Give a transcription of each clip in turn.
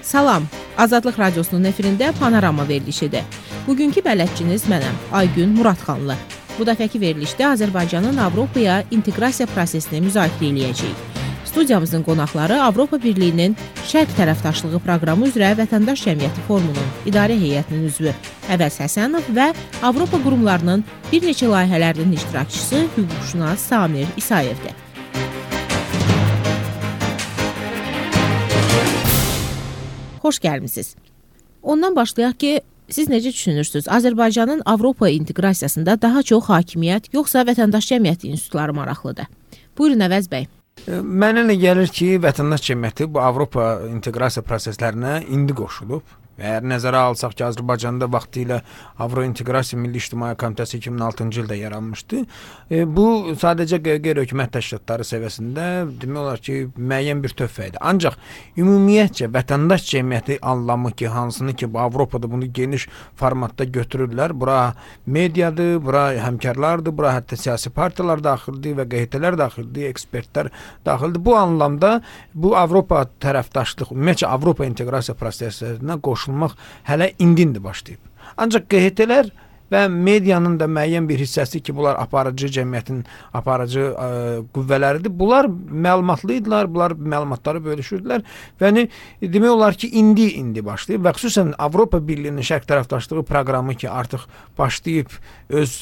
Salam, Azadlıq Radiosunun efirində Panorama verilişidir. Bugünkü bələdçiniz mənəm, Aygün Muradxanlı. Bu dəfəki verilişdə Azərbaycanın Avropaya inteqrasiya prosesini müzakirə edəcəyik. Studiyamızın qonaqları Avropa Birliyinin Şərq tərəfdaşlığı proqramı üzrə Vətəndaş Cəmiyyəti Forumunun idarə heyətinin üzvü Əvəz Həsənov və Avropa qurumlarının bir neçə layihələrinin iştirakçısı hüquqşünas Samir İsayevdir. Xoş gəlmisiniz. Ondan başlayaq ki, siz necə düşünürsünüz? Azərbaycanın Avropa inteqrasiyasında daha çox hakimiyyət, yoxsa vətəndaş cəmiyyəti institutları maraqlıdır? Buyurun Əvəz bəy. Mənə elə gəlir ki, vətəndaş cəmiyyəti bu Avropa inteqrasiya proseslərinə indi qoşulub. Əgər nəzərə alsaq ki, Azərbaycanda vaxtilə Avrointeqrasiya Milli İctimai Komitəsi 2006-cı ildə yaranmışdı. Bu sadəcə qeyri-hökumət təşkilatları səviyyəsində demək olar ki, müəyyən bir töhfə idi. Ancaq ümumiyyətcə vətəndaş cəmiyyəti anlamı ki, hansını ki, bu Avropada bunu geniş formatda götürürlər. Bura mediadır, bura həmkarlardır, bura hətta siyasi partiyalar daxildir və QHT-lər daxildir, ekspertlər daxildir. Bu anlamda bu Avropa tərəfdaşlıq, ümumiyyətcə Avropa inteqrasiya proseslərinə qoşulmaq hələ indi başlayıb. Ancaq QHT-lər və medianın da müəyyən bir hissəsi ki, bunlar aparıcı cəmiyyətin aparıcı qüvvələridir. Bunlar məlumatlıydılar, bunlar məlumatları bölüşürdülər və demək olar ki, indi başlayıb və xüsusən Avropa Birliyinin Şərq tərəfdaşlığı proqramı ki, artıq başlayıb öz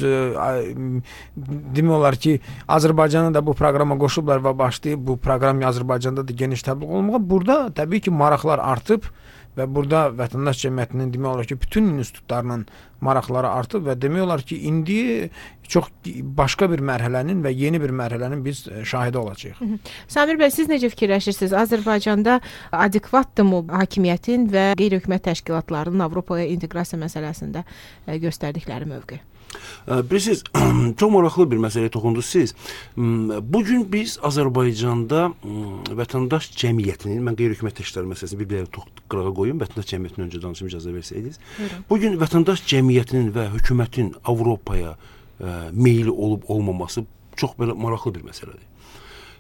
demək olar ki, Azərbaycanı da bu proqrama qoşublar və başlayıb bu proqram Azərbaycanda da geniş təbliğ olunmağa. Burada təbii ki, maraqlar artıb və burada vətəndaş cəmiyyətinin demək olar ki, bütün institutlarının maraqları artıb və demək olar ki, indi çox başqa bir mərhələnin və yeni bir mərhələnin biz şahidi olacağıq. Samir bəy, siz necə fikirləşirsiniz? Azərbaycanda adekvatdırmı hakimiyyətin və qeyri-hökumət təşkilatlarının Avropaya inteqrasiya məsələsində göstərdikləri mövqe? Bilirsiniz, çox maraqlı bir məsələyə toxundunuz siz. Bugün biz Azərbaycanda vətəndaş cəmiyyətinin, mən qeyri-hökumət təşkilatları məsələsini bir-birə qırağa qoyum, vətəndaş cəmiyyətinin öncə danışım icazə versəydiniz. Bugün vətəndaş cəmiyyətinin və hökumətin Avropaya meyli olub-olmaması çox belə maraqlı bir məsələdir.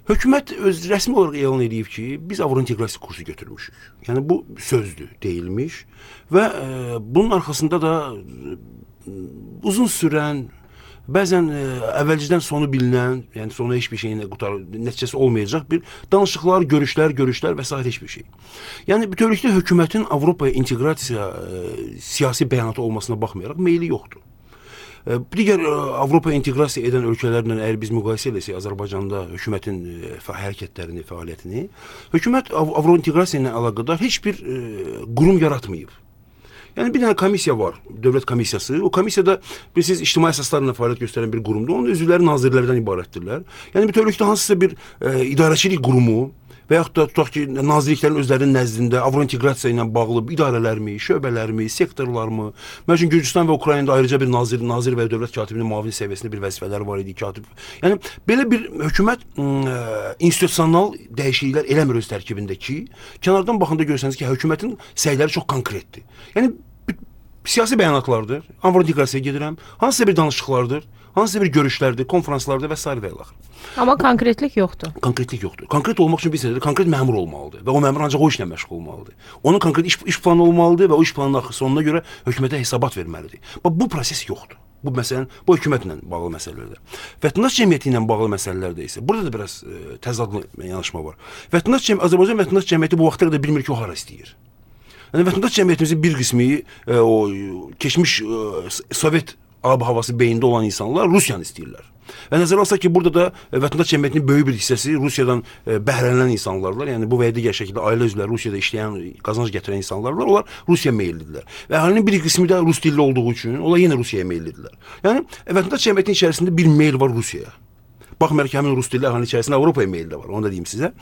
Hökumət rəsmi olaraq elan edib ki, biz Avrointeqrasiya kursu götürmüşük. Yəni bu sözdür, deyilmiş və bunun arxasında da uzun sürən, bəzən əvvəlcədən sonu bilinən, yəni sonu heç bir şeyin nəticəsi olmayacaq bir danışıqlar, görüşlər və s. heç bir şey. Yəni bütövlükdə hökumətin Avropaya inteqrasiya siyasi bəyanatı olmasına baxmayaraq meyli yoxdur. Digər Avropa inteqrasiya edən ölkələrlə əgər biz müqayisə edəsək Azərbaycanda hökumətin hərəkətlərini, fəaliyyətini, hökumət Avrointeqrasiya ilə əlaqədar heç bir qurum yaratmayıb. Yəni bir dənə komissiya var, dövlət komissiyası. O komissiyada bilirsiniz ictimai əsaslarla fəaliyyət göstərən bir qurumdur. Onun üzvləri nazirlərdən ibarətdirlər. Yəni bütövlükdə hansısa bir idarəçilik qurumu və yaxud da tutaq ki, nazirliklərin özlərinin nəzdində Avrointeqrasiya ilə bağlı idarələrmi, şöbələrmi, sektorlarmı? Məsələn, Gürcüstan və Ukraynada ayrıca bir nazir və dövlət katibinin müavin səviyyəsində bir vəzifələri var idi, katib. Yəni belə bir hökumət institusional dəyişikliklər eləmir öz tərkibindəki. Kənardan baxanda görürsəniz ki, hökumətin səyləri çox konkretdir. Yəni siyasi bəyanatlardır, Avrointeqrasiyaya gedirəm, hansısa bir danışıqlardır, hansısa bir görüşlərdir, konferanslardır və s. və ilə. Amma konkretlik yoxdur. Konkretlik yoxdur. Konkret olmaq üçün bir sənədə konkret məmur olmalıdır və o məmur ancaq o işlə məşğul olmalıdır. Onun konkret iş planı olmalıdır və o iş planının sonuna görə hökumətə hesabat verməlidir. Bu proses yoxdur. Bu məsələn, bu hökumətlə bağlı məsələlərdir. Vətəndaş cəmiyyəti ilə bağlı məsələlərdə isə burada da biraz təzadlı yanaşma var. Azərbaycan vətəndaş cəmiyyəti bu vaxta qədər bilmir ki, o hara istəyir. Yəni vətəndaş cəmiyyətimizin bir qismi o keçmiş Sovet ab-havası beyində olan insanlar Rusiyanı istəyirlər. Və nəzərə alsaq ki, burada da vətəndaş cəmiyyətinin böyük bir hissəsi Rusiyadan bəhrələnən insanlarlar. Yəni bu və ya digər şəkildə ailə üzvləri Rusiyada işləyən, qazanc gətirən insanlarlar, onlar Rusiya meyillidirlər. Və əhalinin bir qismi də rus dilli olduğu üçün onlar yenə Rusiyaya meyillidirlər. Yəni vətəndaş cəmiyyətinin içərisində bir meyl var Rusiyaya. Baxmayaraq ki, həmin rus dilli əhalinin içərisində Avropaya meyli də var, onu da deyim sizə.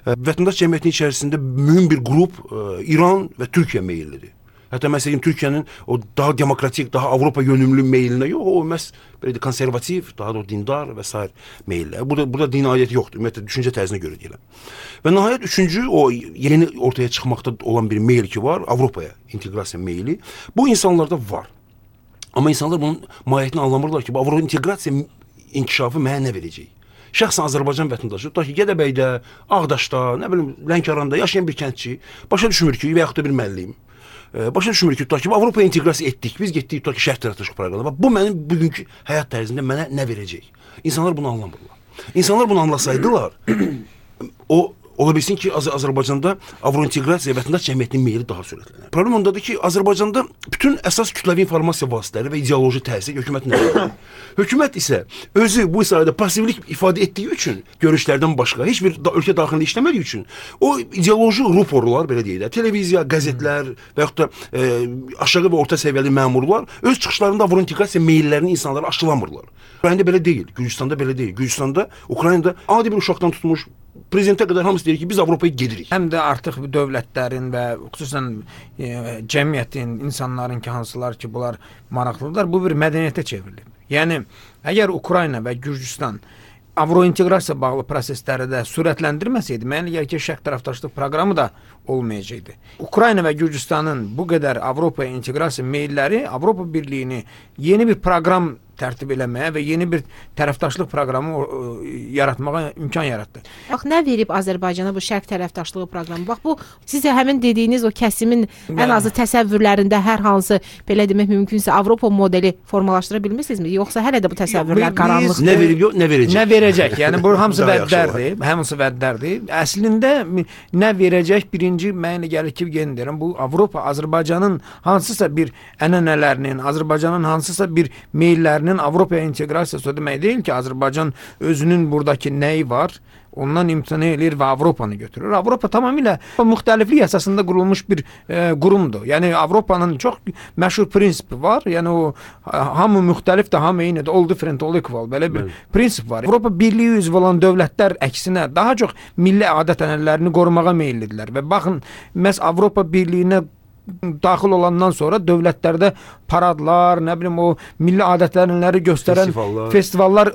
Vətəndaş cəmiyyətinin içərisində mühüm bir qrup İran və Türkiyə meyillidir. Hətta məsələn Türkiyənin o daha demokratik, daha Avropa yönümlü meyilinə yox, o məhz belə konservativ, daha da dindar və s. meyillər. Burada din aidiyyəti yoxdur, ümumiyyətlə düşüncə tərzinə görə deyiləm. Və nəhayət üçüncü o yeni ortaya çıxmaqda olan bir meyil ki var, Avropaya inteqrasiya meyili. Bu insanlarda var. Amma insanlar bunun mahiyyətini anlamırlar ki, bu Avropa inteqrasiya inkişafı mənə nə verəcək? şəxsən Azərbaycan vətəndaşı, tutaq ki, Gədəbəydə, Ağdaşda, nə bilim, Lənkəranda yaşayan bir kəndçi başa düşmür ki, və yaxud da bir müəllim başa düşmür ki, tutaq ki, Avropaya inteqrasiya etdik, biz getdik, tutaq ki, şərq tərəfdaşlıq proqramına. Bu mənim bugünkü həyat tərzində mənə nə verəcək? İnsanlar bunu anlamırlar. İnsanlar bunu anlasaydılar, ola bilsin ki, Azərbaycanda avrointeqrasiya vətəndaş cəmiyyətinin meyli daha sürətlənər. Problem ondadır ki, Azərbaycanda bütün əsas kütləvi informasiya vasitələri və ideoloji təsir hökumətin əlindədir. Hökumət isə özü bu sayədə passivlik ifadə etdiyi üçün, görüşlərdən başqa heç bir ölkə daxilində işləmədiyi üçün, o ideoloji ruporlar, belə deyək də, televiziya, qəzetlər və yaxud da aşağı və orta səviyyəli məmurlar öz çıxışlarında avrointeqrasiya meyillərini insanlara aşılamırlar. Ukraynada belə deyil, Gürcüstanda belə deyil. Gürcüstanda, Ukraynada adi bir uşaqdan tutmuş prezidentə qədər hamısı deyir ki, biz Avropaya gedirik. Həm də artıq dövlətlərin və xüsusən cəmiyyətin, insanların ki, hansılar ki, bunlar maraqlıdırlar, bu bir mədəniyyətə çevrilib. Yəni, əgər Ukrayna və Gürcüstan avrointeqrasiya bağlı prosesləri də sürətləndirməsəydi, mənə gəlir ki, şərq tərəfdaşlıq proqramı da olmayacaqdı. Ukrayna və Gürcüstanın bu qədər Avropaya inteqrasiya meyilləri Avropa Birliyini yeni bir proqram tərtib eləməyə və yeni bir tərəfdaşlıq proqramı yaratmağa imkan yaratdı. Bax, nə verib Azərbaycana bu şərq tərəfdaşlığı proqramı? Bax, bu sizə həmin dediyiniz o kəsimin ən azı təsəvvürlərində hər hansı, belə demək mümkünsə, Avropa modeli formalaşdıra bilmirsinizmi? Yoxsa hələ də bu təsəvvürlər qaranlıqdır? Nə verib, yox, nə verəcək? Nə verəcək? Yəni, bu hamısı vədlərdir. Hamısı vədlərdir. Əslində, nə verəcək? Birinci, mənə gəlir ki, yenə deyirəm, bu Avropa, Azərbaycanın hansısa bir ənənələrinin, Azərbaycanın hansısa bir meyillərinin Avropaya inteqrasiyası o demək deyil ki, Azərbaycan özünün buradakı nəyi var, ondan imtina edir və Avropanı götürür. Avropa tamamilə müxtəliflik əsasında qurulmuş bir qurumdur. Yəni, Avropanın çox məşhur prinsipi var. Yəni, o hamı müxtəlifdir, hamı eynidir. All different, all equal. Belə bir prinsip var. Avropa Birliyi üzvü olan dövlətlər əksinə daha çox milli adət-ənənələrini qorumağa meyillidirlər. Və baxın, məhz Avropa Birliyinə daxil olandan sonra dövlətlərdə paradlar, nə bilim, o milli adətlərini göstərən festivallar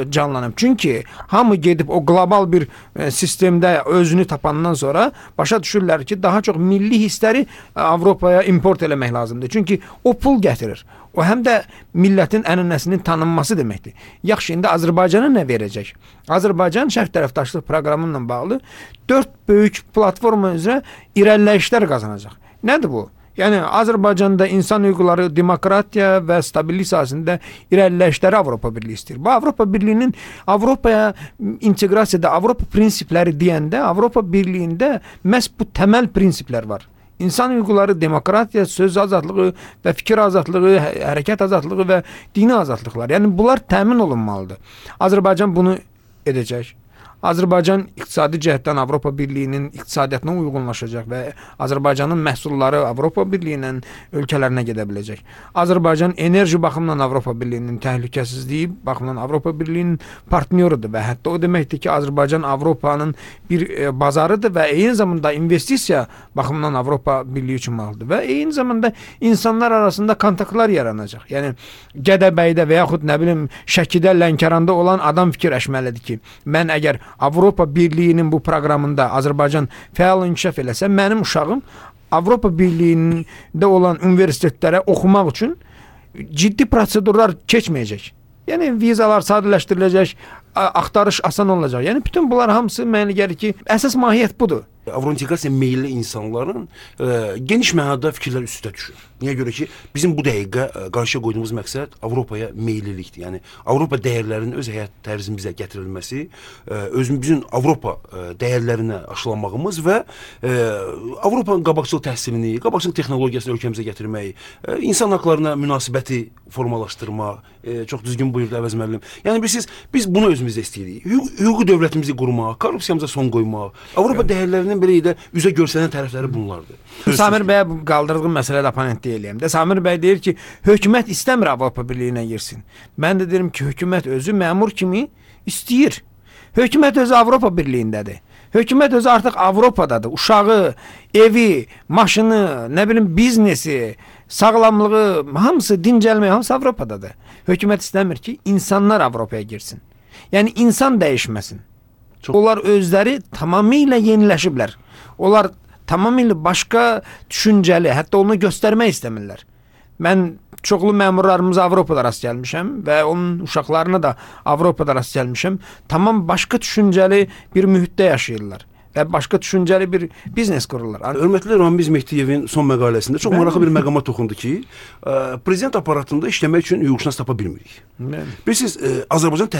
canlanıb. Çünki hamı gedib o qlobal bir sistemdə özünü tapandan sonra başa düşürlər ki, daha çox milli hissləri Avropaya import eləmək lazımdır. Çünki o pul gətirir. O həm də millətin ənənəsinin tanınması deməkdir. Yaxşı, indi Azərbaycana nə verəcək? Azərbaycan şərq tərəfdaşlıq proqramı ilə bağlı 4 böyük platforma üzrə irəliləyişlər qazanacaq. Nədir bu? Yəni, Azərbaycanda insan hüquqları, demokratiya və stabillik sahəsində irəliləyişləri Avropa Birliyi istəyir. Bu, Avropa Birliyinin Avropaya inteqrasiyada Avropa prinsipləri deyəndə, Avropa Birliyində məhz bu təməl prinsiplər var. İnsan hüquqları, demokratiya, söz azadlığı və fikir azadlığı, hərəkət azadlığı və dini azadlıqlar. Yəni, bunlar təmin olunmalıdır. Azərbaycan bunu edəcək. Azərbaycan iqtisadi cəhətdən Avropa Birliyinin iqtisadiyyatına uyğunlaşacaq və Azərbaycanın məhsulları Avropa Birliyinin ölkələrinə gedə biləcək. Azərbaycan enerji baxımından Avropa Birliyinin təhlükəsizliyi baxımından Avropa Birliyinin partnyorudur və hətta o deməkdir ki, Azərbaycan Avropanın bir bazarıdır və eyni zamanda investisiya baxımından Avropa Birliyi üçün maraqlıdır və eyni zamanda insanlar arasında kontaktlar yaranacaq. Yəni, Gədəbəydə və yaxud nə bilim Şəkidə, Lənkəranda olan adam fikirləşməlidir ki, mən əgər Avropa Birliyinin bu proqramında Azərbaycan fəal inkişaf eləsə, mənim uşağım Avropa Birliyində olan universitetlərə oxumaq üçün ciddi prosedurlar keçməyəcək. Yəni, vizalar sadələşdiriləcək, axtarış asan olacaq. Yəni, bütün bunlar hamısı mənə gəlir ki, əsas mahiyyət budur. Avrointeqrasiya meyilli insanların geniş mənada fikirlər üstə düşür. Niyə görə ki, bizim bu dəqiqə qarşıya qoyduğumuz məqsəd Avropaya meyillilikdir. Yəni, Avropa dəyərlərinin öz həyat tərzimizə gətirilməsi, özümüzün Avropa dəyərlərinə aşılamağımız və Avropanın qabaqcıl təhsilini, qabaqcıl texnologiyasını ölkəmizə gətirmək, insan haqlarına münasibəti formalaşdırmaq, çox düzgün buyurdu Əvəz müəllim. Yəni, bilirsiniz, biz bunu özümüzdə istəyirik. Hüquqi dövlətimizi qurmaq, korrupsiyamıza son qoymaq, Avropa dəyərlərinin belə də üzə görsənən tərəfləri bunlardır. Samir bəyə qaldırdığı məsələdə oponent deyiləm də. Samir bəy deyir ki, hökumət istəmir Avropa Birliyinə girsin. Mən də deyirəm ki, hökumət özü məmur kimi istəyir. Hökumət özü Avropa Birliyindədir. Hökumət özü artıq Avropadadır. Uşağı, evi, maşını, nə bilim, biznesi, sağlamlığı, hamısı, dincəlməyi, hamısı Avropadadır. Hökumət istəmir ki, insanlar Avropaya girsin. Yəni, insan dəyişməsin. Onlar özləri tamamilə yeniləşiblər. Onlar tamamilə başqa düşüncəli, hətta onu göstərmək istəmirlər. Mən çoxlu məmurlarımız Avropada rast gəlmişəm və onun uşaqlarına da Avropada rast gəlmişəm. Tamam başqa düşüncəli bir mühitdə yaşayırlar və başqa düşüncəli bir biznes qururlar. Hörmətli Ramiz Mehdiyevin son məqaləsində çox maraqlı bir məqama toxundu ki, prezident aparatında işləmək üçün hüquqşünas tapa bilmirik. Bilirsiniz, Azərbaycan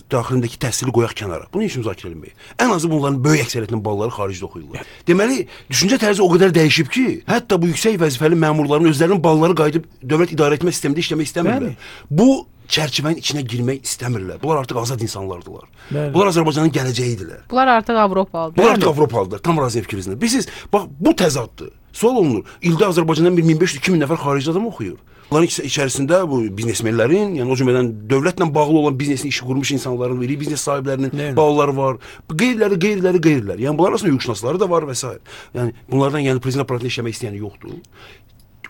daxilindəki təhsili qoyaq kənara. Bunu heç müzakirə etməyin. Ən azı bunların böyük əksəriyyətinin balları xaricdə oxuyurlar. Deməli, düşüncə tərzi o qədər dəyişib ki, hətta bu yüksək vəzifəli məmurların özlərinin balları qayıdıb dövlət idarə etmə sistemində işləmək istəmirlər. Bu çərçivənin içinə girmək istəmirlər. Bunlar artıq azad insanlardılar. Bəli. Bunlar Azərbaycanın gələcəyidirlər. Bunlar artıq Avropalıdır. Bunlar artıq Avropalıdır. Tam razıyam fikrinizlə. Bilirsiniz, bax bu təzaddır. Sual olunur. İldə Azərbaycandan 1500-2000 nəfər xarici adam oxuyur. Bunların içərisində bu biznesmenlərin, yəni o cümlədən dövlətlə bağlı olan biznesini işi qurmuş insanların, iri biznes sahiblərinin balaları var. Qeyriləri. Yəni bunlar arasında hüquqşünasları da var və s. Yəni bunlardan yəni prezident aparatında işləmək istəyəni yoxdur.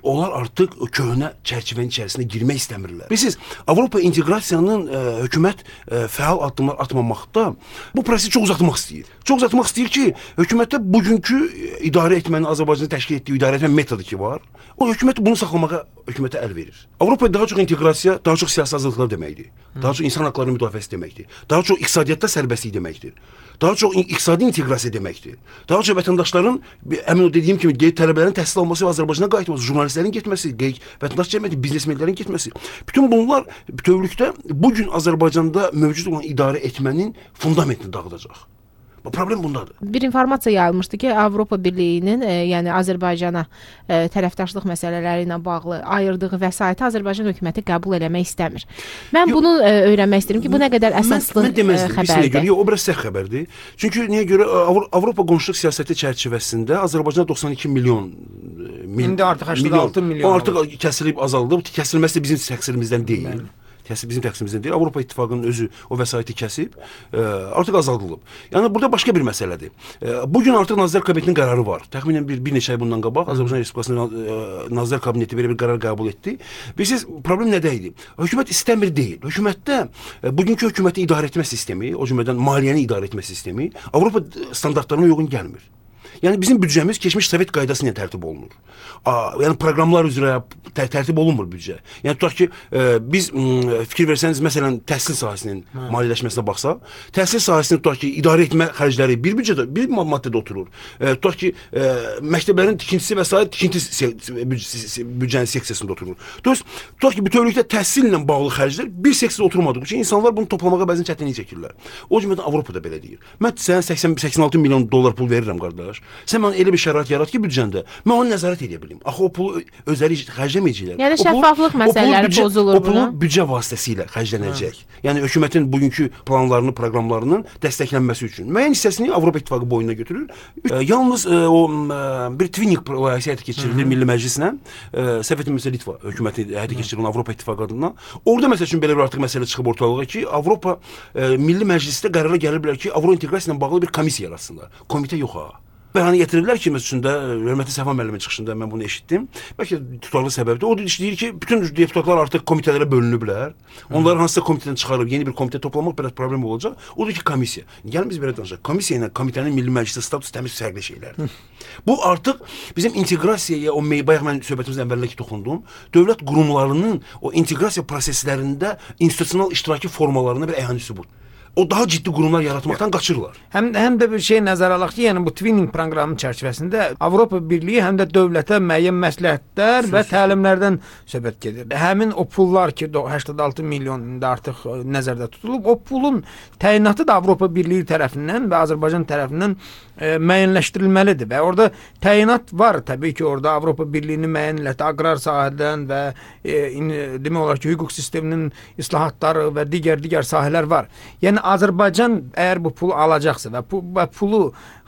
Onlar artıq köhnə çərçivənin içərisinə girmək istəmirlər. Bilirsiniz, Avropa inteqrasiyanın hökumət fəal addımlar atmamaqda bu prosesi çox uzatmaq istəyir. Çox uzatmaq istəyir ki, hökumətdə bugünkü idarə etmənin Azərbaycanı təşkil etdiyi idarə etmə metodu ki var, o hökumət bunu saxlamağa hökumətə əl verir. Avropada daha çox inteqrasiya, daha çox siyasi azadlıqlar deməkdir. Daha çox insan haqlarının müdafiəsi deməkdir. Daha çox iqtisadiyyatda sərbəstlik deməkdir. Daha çox iqtisadi inteqrasiya deməkdir. Daha çox vətəndaşların, əmin o dediyim kimi, tələbələrin təhsil alması və Azərbaycana qayıtması, jurnalistlərin getməsi, vətəndaş cəmiyyəti, biznesmenlərin getməsi. Bütün bunlar bütövlükdə bugün Azərbaycanda mövcud olan idarə etmənin fundamentini dağıdacaq. Problem bundadır. Bir informasiya yayılmışdı ki, Avropa Birliyinin, yəni Azərbaycana tərəfdaşlıq məsələləri ilə bağlı ayırdığı vəsaiti Azərbaycan hökuməti qəbul eləmək istəmir. Mən bunu öyrənmək istəyirəm ki, bu nə qədər əsaslı xəbərdir? O biraz səhv xəbərdir. Çünki niyə görə Avropa qonşuluq siyasəti çərçivəsində Azərbaycana 92 milyon İndi artıq 86 milyon. Artıq kəsilib azaldı. Kəsilməsi də bizim təqsirimizdən deyil. Bizim təqsimimizdən deyil. Avropa İttifaqının özü o vəsaiti kəsib, artıq azaldılıb. Yəni burada başqa bir məsələdir. Bugün artıq Nazirlər Kabinetinin qərarı var. Təxminən bir neçə ay bundan qabaq Azərbaycan Respublikasının Nazirlər Kabineti belə bir qərar qəbul etdi. Bilirsiniz, problem nədə idi? Hökumət istəmir deyil. Hökumətdə bugünkü hökuməti idarə etmə sistemi, o cümlədən maliyyəni idarə etmə sistemi Avropa standartlarına uyğun gəlmir. Yəni bizim büdcəmiz keçmiş Sovet qaydası ilə tərtib olunur. Yəni proqramlar üzrə tərtib olunmur büdcə. Yəni tutaq ki, biz fikir versəniz, məsələn, təhsil sahəsinin maliyyələşməsinə baxsaq, təhsil sahəsini tutaq ki, idarə etmə xərcləri bir büdcədə, bir maddədə oturur. Tutaq ki, məktəblərin tikintisi və s. tikinti büdcənin seksiyasında oturur. Tutaq ki, bütövlükdə təhsil ilə bağlı xərclər bir seksiyada oturmadığı üçün insanlar bunu toplamağa bəzən çətinlik çəkirlər. O cümlədən Avropada belə deyir. Mən sənə 86 milyon dollar pul verirəm, qardaş. Sən mənə elə bir şərait yarat ki, büdcəndə mən onu nəzarət edə bilim. Axı o pulu özləri xərcləməyəcəklər. Yəni şəffaflıq məsələləri pozulur. O pulu büdcə vasitəsilə xərclənəcək. Yəni hökumətin bugünkü planlarını, proqramlarının dəstəklənməsi üçün. Müəyyən hissəsini Avropa İttifaqı boynuna götürür. Yalnız o bir twinning layihəsi həyata keçirilir Milli Məclislə. Sovet Litva hökuməti həyata keçirir Avropa İttifaqı adından. Orada məsəl üçün belə bir artıq məsələ çıxıb ortalığa ki, Avropa Milli Məclisdə qərara gələ bilər ki, Avro inteqrasiya ilə bağlı bir komissiya yaratsınlar. Komitə yox ha. Bəhanə gətirirlər ki, məsələn, hörmətli Səfa müəllimin çıxışında mən bunu eşitdim. Bəlkə tutarlı səbəbdir. O deyir ki, bütün deputatlar artıq komitələrə bölünüblər. Onları hansısa komitədən çıxarıb yeni bir komitə toplamaq biraz problem olacaq. O deyir ki, komissiya. Gəlin biz belə danışaq. Komissiya ilə komitənin Milli Məclisdə statusu təmiz fərqli şeylərdir. Bu artıq bizim inteqrasiyaya, o bayaq mən söhbətimizin əvvəlindəki toxundum, dövlət qurumlarının o inteqrasiya proseslərində institusional iştiraki formalarına bir əyani sübut. O daha ciddi qurumlar yaratmaqdan qaçırlar. Həm də bir şey nəzərə alaq ki, yəni bu twinning proqramının çərçivəsində Avropa Birliyi həm də dövlətə müəyyən məsləhətlər və təlimlərdən söhbət gedir. Həmin o pullar ki, 86 milyon indi artıq nəzərdə tutulub, o pulun təyinatı da Avropa Birliyi tərəfindən və Azərbaycan tərəfindən müəyyənləşdirilməlidir və orada təyinat var. Təbii ki, orada Avropa Birliyinin müəyyən aqrar sahədən və demək olar ki, hüquq sisteminin islahatları və digər sahələr var. Yəni Azərbaycan əgər bu pulu alacaqsa və pulu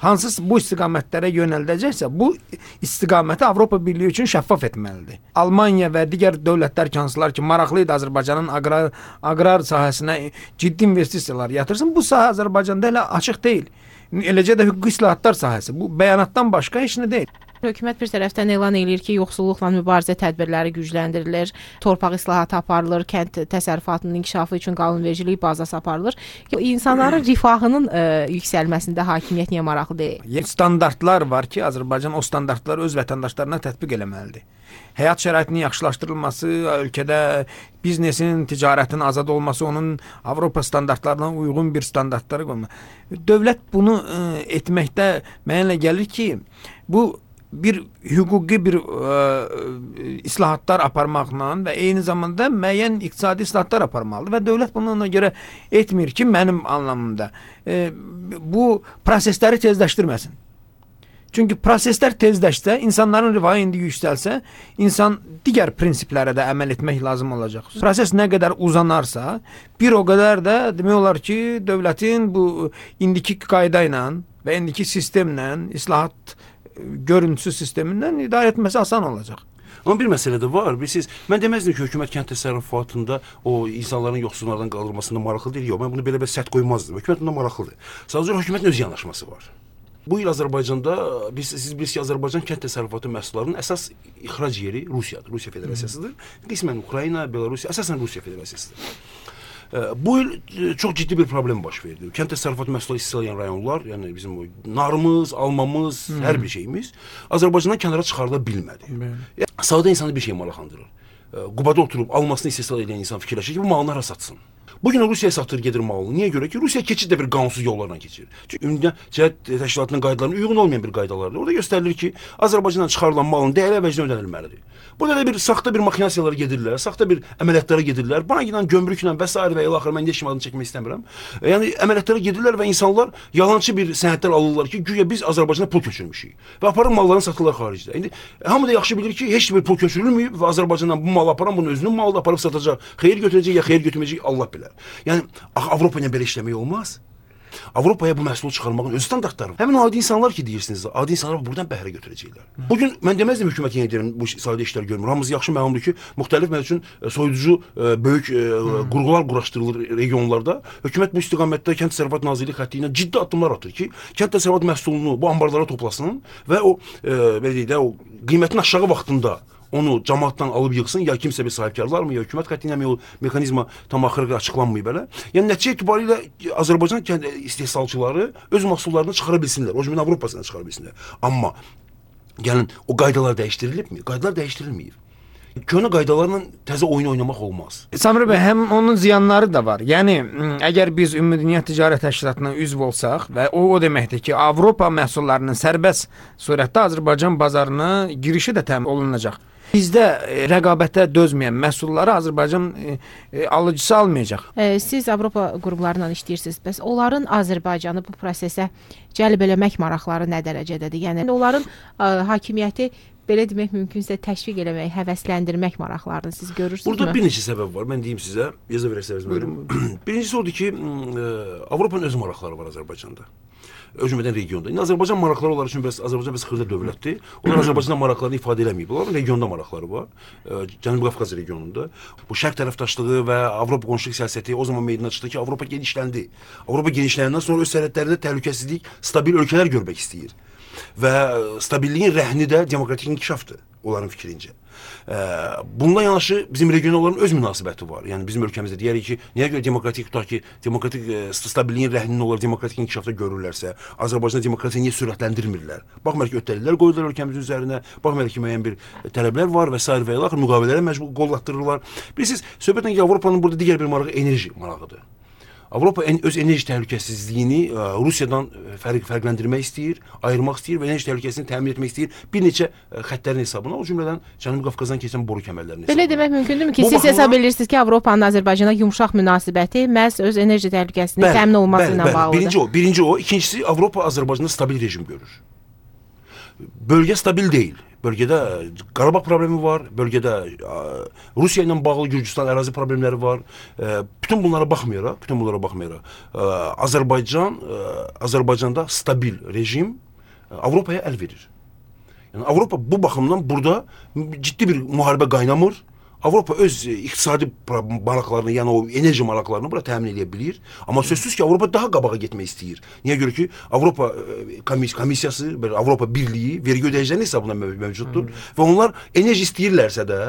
hansı bu istiqamətlərə yönəldəcəksə, bu istiqaməti Avropa Birliyi üçün şəffaf etməlidir. Almaniya və digər dövlətlər hansılar ki, maraqlı idi Azərbaycanın aqrar sahəsinə ciddi investisiyalar yatırsın, bu sahə Azərbaycanda elə açıq deyil. Eləcə də hüquqi islahatlar sahəsi. Bu bəyanatdan başqa heç nə deyil. Hökumət bir tərəfdən elan eləyir ki, yoxsulluqla mübarizə tədbirləri gücləndirilir, torpaq islahatı aparılır, kənd təsərrüfatının inkişafı üçün qanunvericilik bazası aparılır. İnsanların rifahının yüksəlməsində hakimiyyət niyə maraqlı deyil? Standartlar var ki, Azərbaycan o standartları öz vətəndaşlarına tətbiq eləməlidir. Həyat şəraitinin yaxşılaşdırılması, ölkədə biznesin, ticarətin azad olması, onun Avropa standartlarına uyğun bir standartlara qoymaq. Dövlət bunu etməkdə mənə gəlir ki, bu bir hüquqi bir islahatlar aparmaqla və eyni zamanda müəyyən iqtisadi islahatlar aparmalıdır və dövlət bunu ona görə etmir ki, mənim anlamımda bu prosesləri tezləşdirməsin. Çünki proseslər tezləşsə, insanların rifahı indi yüksəlsə, insan digər prinsiplərə də əməl etmək lazım olacaq. Proses nə qədər uzanarsa, bir o qədər də demək olar ki, dövlətin bu indiki qayda ilə və indiki sistemlə, islahat görüntüsü sistemindən idarə etməsi asan olacaq. Amma bir məsələ də var. Mən deməzdim ki, hökumət kənd təsərrüfatında o insanların yoxsullardan qaldırılmasında maraqlı deyil. Yox, mən bunu belə sərt qoymazdım. Hökumət bunda maraqlıdır. Sadəcə hökumətin öz yanaşması var. Bu il Azərbaycanda siz bilirsiniz ki, Azərbaycan kənd təsərrüfatı məhsullarının əsas ixrac yeri Rusiyadır, Rusiya Federasiyasıdır. Qismən Ukrayna, Belarus, əsasən Rusiya Federasiyasıdır. Bu il çox ciddi bir problem baş verdi. Kənd təsərrüfatı məhsulları istehsal edən rayonlar, yəni bizim narımız, almamız, hər bir şeyimiz Azərbaycandan kənara çıxarıla bilmədi. Sadə insanı bir şey maraqlandırır. Qubada oturub almasını istehsal edən insan fikirləşir ki, bu malını hara satsın. Bugün Rusiyaya satır gedir malını. Niyə görə ki, Rusiya keçid də bir qanunsuz yollarla keçir. Çünki Ümumdünya Ticarət Təşkilatının qaydalarına uyğun olmayan bir qaydalardır. Orada göstərilir ki, Azərbaycandan çıxarılan malın dəyəri əvəzinə ödənilməlidir. Burada da bir saxta bir maxinasiyalara gedirlər, saxta bir əməliyyatlara gedirlər. Buna gedən gömrüklə və s. və ilə axır mən heç adını çəkmək istəmirəm. Yəni əməliyyatlara gedirlər və insanlar yalançı bir sənədlər alırlar ki, güya biz Azərbaycana pul köçürmüşük və aparıb mallarını satırlar xaricdə. İndi hamı da yaxşı bilir ki, heç bir pul köçürülməyib və Azərbaycandan bu malı aparan bunun özünün malıdır, aparıb satacaq. Xeyir götürəcək ya xeyir götürməyəcək Allah bilər. Yəni Avropa ilə belə işləmək olmaz. Avropaya bu məhsulu çıxarmağın öz standartları var. Həmin o adi insanlar ki deyirsiniz, adi insanlar buradan bəhrə götürəcəklər. Bugün mən deməzdim hökumət yenə deyirəm bu sahədə işlər görmür. Hamımız yaxşı məlumdur ki, müxtəlif məsəl üçün soyuducu böyük qurğular quraşdırılır regionlarda. Hökumət bu istiqamətdə Kənd Təsərrüfatı Nazirliyi xətti ilə ciddi addımlar atır ki, kənd təsərrüfatı məhsulunu bu anbarlara toplasın və o belə deyək də o qiymətin aşağı vaxtında onu cəmaatdan alıb yığsın, ya kimsə bir sahibkarlar mı, ya hökumət xətti ilə o mexanizma tam axırı açıqlanmayıb belə. Yəni nəticə etibarilə Azərbaycan istehsalçıları öz məhsullarını çıxara bilsinlər, o cümlədən Avropasına çıxara bilsinlər. Amma gəlin o qaydalar dəyişdirilibmi? Qaydalar dəyişdirilməyib. Köhnə qaydalarla təzə oyun oynamaq olmaz. Samir bəy, həm onun ziyanları da var. Yəni əgər biz Ümumdünya Ticarət Təşkilatına üzv olsaq və o deməkdir ki, Avropa məhsullarının sərbəst surətdə Azərbaycan bazarına girişi də təmin olunacaq. Bizdə rəqabətə dözməyən məhsulları Azərbaycan alıcısı almayacaq. Siz Avropa qruplarla işləyirsiniz. Bəs onların Azərbaycanı bu prosesə cəlb eləmək maraqları nə dərəcədədir? Yəni onların hakimiyyəti belə demək mümkünsə təşviq eləmək, həvəsləndirmək maraqlarını siz görürsünüzmü? Burada bir neçə səbəb var. Mən deyim sizə, yazı verərsəniz buyurun. Birincisi odur ki, Avropanın öz maraqları var Azərbaycanda. O cümlədən regionda. İndi Azərbaycan maraqları onlar üçün Azərbaycan biraz xırda dövlətdir. Onlar Azərbaycanda maraqlarını ifadə eləməyib. Onların regionda maraqları var. Cənubi Qafqaz regionunda. Bu şərq tərəfdaşlığı və Avropa qonşuluq siyasəti o zaman meydana çıxdı ki, Avropa genişləndi. Avropa genişləyəndən sonra öz sərhədlərində təhlükəsizlik, stabil ölkələr görmək istəyir. Və stabilliyin rəhni də demokratik inkişafdır onların fikrincə. Bununla yanaşı bizim regionalların öz münasibəti var. Yəni bizim ölkəmizdə deyərik ki, niyə görə demokratik stabilliyin rəhnini onlar demokratik inkişafda görürlərsə, Azərbaycanda demokratiya niyə sürətləndirmirlər? Baxmayaraq ki, öhdəliklər qoyurlar ölkəmizin üzərinə, baxmayaraq ki, müəyyən bir tələblər var və s. və ilə müqavilələrə məcbur qollatdırırlar. Bilirsiniz, söhbətlə ki, Avropanın burada digər bir marağı enerji marağıdır. Avropa öz enerji təhlükəsizliyini Rusiyadan fərqləndirmək istəyir, ayırmaq istəyir və enerji təhlükəsizliyini təmin etmək istəyir bir neçə xəttlərin hesabına, o cümlədən Cənubi Qafqazdan keçən boru kəmərlərinin hesabına. Belə demək mümkündürmü ki, siz hesab edirsiniz ki, Avropanın Azərbaycana yumşaq münasibəti məhz öz enerji təhlükəsizliyinin təmin olması ilə bağlıdır? Birinci o. İkincisi, Avropa Azərbaycanda stabil rejim görür. Bölgə stabil deyil. Bölgədə Qarabağ problemi var, bölgədə Rusiya ilə bağlı Gürcüstan ərazi problemləri var. Bütün bunlara baxmayaraq, Azərbaycanda stabil rejim Avropaya əl verir. Yəni Avropa bu baxımdan burada ciddi bir müharibə qaynamır. Avropa öz iqtisadi maraqlarını, yəni o enerji maraqlarını bura təmin edə bilir. Amma sözsüz ki, Avropa daha qabağa getmək istəyir. Niyə görə ki, Avropa komissiyası, Avropa Birliyi vergi ödəyicilərinin hesabına mövcuddur və onlar enerji istəyirlərsə də,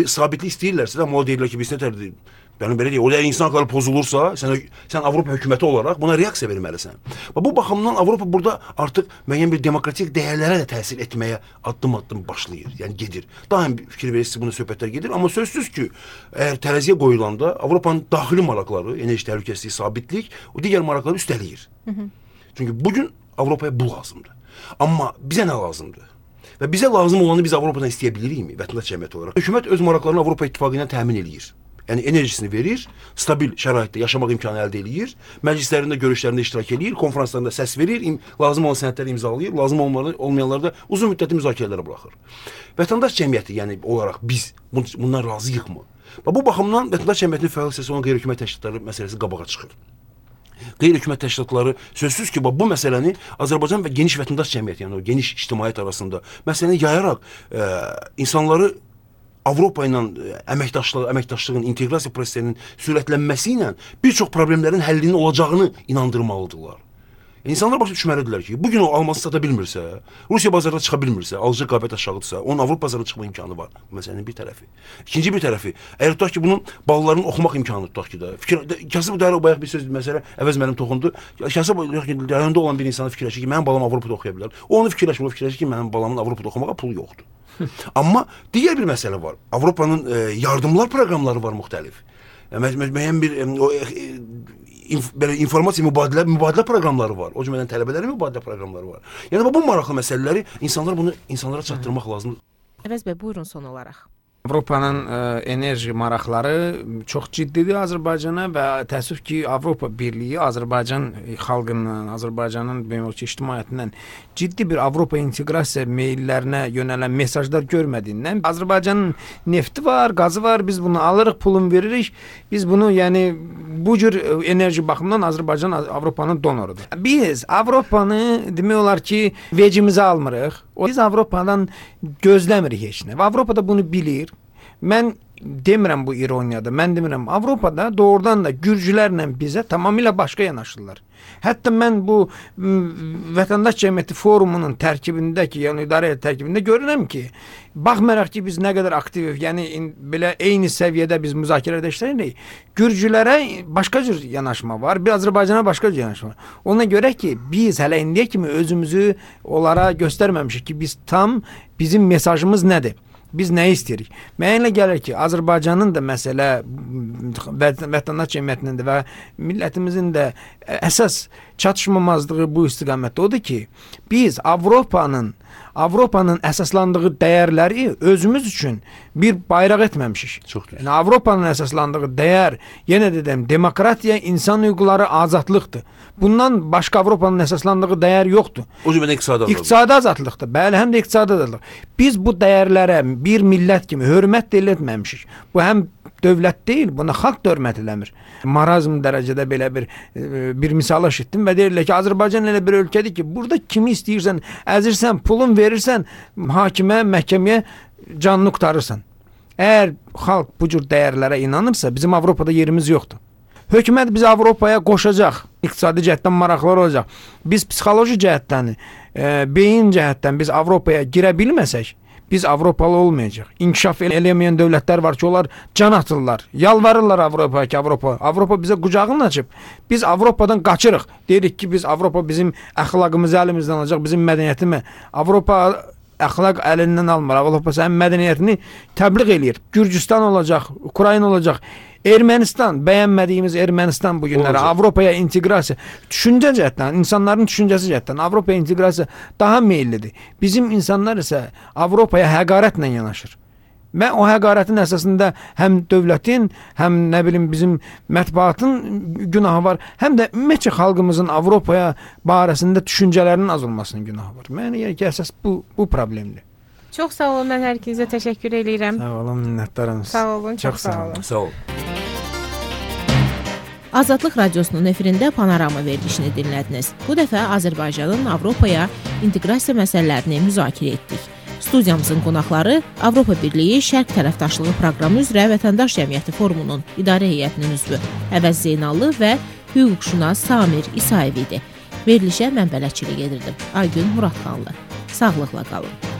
sabitlik istəyirlərsə də, amma o deyirlər ki, biz nətərdir? Yəni belə deyək, o da insan hüquqları pozulursa, sən Avropa hökuməti olaraq buna reaksiya verməlisən. Və bu baxımdan Avropa burada artıq müəyyən bir demokratik dəyərlərə də təsir etməyə addım-addım başlayır, yəni gedir. Daha fikir verirsiniz, buna söhbətlər gedir, amma sözsüz ki, əgər tərəziyə qoyulanda Avropanın daxili maraqları, enerji təhlükəsizliyi, sabitlik, o digər maraqları üstələyir. Çünki bugün Avropaya bu lazımdır. Amma bizə nə lazımdır? Və bizə lazım olanı biz Avropadan istəyə bilirikmi, vətəndaş cəmiyyəti olaraq? Hökumət öz maraqlarını Avropa İttifaqı ilə təmin eləyir. Yəni enerjisini verir, stabil şəraitdə yaşamaq imkanı əldə eləyir, məclislərində, görüşlərində iştirak eləyir, konferanslarında səs verir, lazım olan sənədləri imzalayır, lazım olmayanları da uzun müddətli müzakirələrə buraxır. Vətəndaş cəmiyyəti, yəni olaraq biz bundan razıyıqmı? Və bu baxımdan vətəndaş cəmiyyətinin fəal hissəsi olan qeyri-hökumət təşkilatları məsələsi qabağa çıxır. Qeyri-hökumət təşkilatları sözsüz ki, bu məsələni Azərbaycan və geniş vətəndaş cəmiyyəti, yəni o geniş ictimaiyyət arasında məsələni yayaraq insanları Avropa ilə əməkdaşlığın, inteqrasiya prosesinin sürətlənməsi ilə bir çox problemlərin həllinin olacağını inandırmalıdırlar. İnsanlar başa düşməlidirlər ki, bugün o alması sata bilmirsə, Rusiya bazarına çıxa bilmirsə, alıcı qabiliyyət aşağıdırsa, onun Avropa bazarına çıxma imkanı var. Bu məsələnin bir tərəfi. İkinci bir tərəfi, əgər tutaq ki, bunun ballarının oxumaq imkanı tutaq ki da. Kasıb bayaq bir söz məsələ əvəz mənim toxundu. Kasıb rayonda olan bir insana fikirləşir ki, mənim balam Avropada oxuya bilər. O onu fikirləşir ki, mənim balamın Avropada oxumağa pulu yoxdur. Amma digər bir məsələ var. Avropanın yardımlar proqramları var müxtəlif. Müəyyən bir belə informasiya mübadilə proqramları var. O cümlədən tələbələrin mübadilə proqramları var. Yəni bu maraqlı məsələləri insanlara çatdırmaq lazımdır. Əvəz bəy, buyurun son olaraq. Avropanın enerji maraqları çox ciddidir Azərbaycana və təəssüf ki, Avropa Birliyi Azərbaycan xalqından, Azərbaycanın ictimaiyyətindən ciddi bir Avropa inteqrasiya meyllərinə yönələn mesajlar görmədiyindən Azərbaycanın nefti var, qazı var, biz bunu alırıq, pulunu veririk. Biz bunu, yəni bu cür enerji baxımından Azərbaycan Avropanın donorudur. Biz Avropanı demək olar ki, vecimizə almırıq. Biz Avropadan gözləmirik heç nə. Və Avropada bunu bilir. Mən demirəm bu ironiyadır. Mən demirəm, Avropada doğrudan da gürcülərlə bizə tamamilə başqa yanaşırlar. Hətta mən bu vətəndaş cəmiyyəti forumunun tərkibindəki, yəni idarə tərkibində görürəm ki, baxmayaraq ki, biz nə qədər aktiv, yəni belə eyni səviyyədə biz müzakirədə işləyirik, gürcülərə başqa cür yanaşma var, bir Azərbaycana başqa cür yanaşma var. Ona görə ki, biz hələ indiyə kimi özümüzü onlara göstərməmişik ki, bizim mesajımız nədir? Biz nə istəyirik? Mənə gəlir ki, Azərbaycanın da məsələ vətəndaş cəmiyyətinin də və millətimizin də əsas çatışmamazlığı bu istiqamətdə odur ki, biz Avropanın əsaslandığı dəyərləri özümüz üçün bir bayraq etməmişik. Yəni Avropanın əsaslandığı dəyər, yenə dedim, demokratiya, insan hüquqları, azadlıqdır. Bundan başqa Avropanın əsaslandığı dəyər yoxdur. O cümlədən iqtisadi azadlıqdır. Bəli, həm də iqtisadi azadlıq. Biz bu dəyərlərə bir millət kimi hörmət də etməmişik. Bu həm dövlət deyil, buna xalq da hörmət eləmir. Marazm dərəcədə belə bir misal eşitdim və deyirlər ki, Azərbaycan elə bir ölkədir ki, burada kimi istəyirsən, əzirsən, pulun verirsən, hakimə, məhkəməyə canını qurtarırsan. Əgər xalq bu cür dəyərlərə inanırsa, bizim Avropada yerimiz yoxdur. Hökumət bizi Avropaya qoşacaq, iqtisadi cəhətdən maraqlar olacaq. Biz psixoloji cəhətdən, beyin cəhətdən biz Avropaya girə bilməsək, biz Avropalı olmayacaq. İnkişaf eləməyən dövlətlər var ki, onlar can atırlar, yalvarırlar Avropaya ki, Avropa bizə qucağını açıb. Biz Avropadan qaçırıq. Deyirik ki, Avropa bizim əxlaqımızı əlimizdən alacaq, bizim mədəniyyətimi. Avropa əxlaq əlindən almır. Avropa sənin mədəniyyətini təbliğ eləyir. Gürcüstan olacaq, Ukrayna olacaq. Ermənistan, bəyənmədiyimiz Ermənistan bu günlərə Avropaya inteqrasiya, düşüncə cəhətdən, insanların düşüncəsi cəhətdən Avropaya inteqrasiya daha meyillidir. Bizim insanlar isə Avropaya həqarətlə yanaşır. Və o həqarətin əsasında həm dövlətin, həm bizim mətbuatın günahı var, həm də ümumiyyətcə xalqımızın Avropaya barəsində düşüncələrinin az olmasının günahı var. Mənə gəlir ki, əsas bu problemdir. Çox sağ olun, mən hər ikinizə təşəkkür edirəm. Sağ olun, minnətdaram. Sağ olun, çox sağ olun. Sağ olun. Azadlıq Radiosunun efirində Panorama verilişini dinlədiniz. Bu dəfə Azərbaycanın Avropaya inteqrasiya məsələlərini müzakirə etdik. Studiyamızın qonaqları Avropa Birliyi Şərq tərəfdaşlığı proqramı üzrə Vətəndaş Cəmiyyəti Forumunun idarə heyətinin üzvü Əvəz Zeynallı və hüquqşünas Samir İsayev idi. Verilişə mən bələdçilik edirdim. Aygün Muradxanlı. Sağlıqla qalın.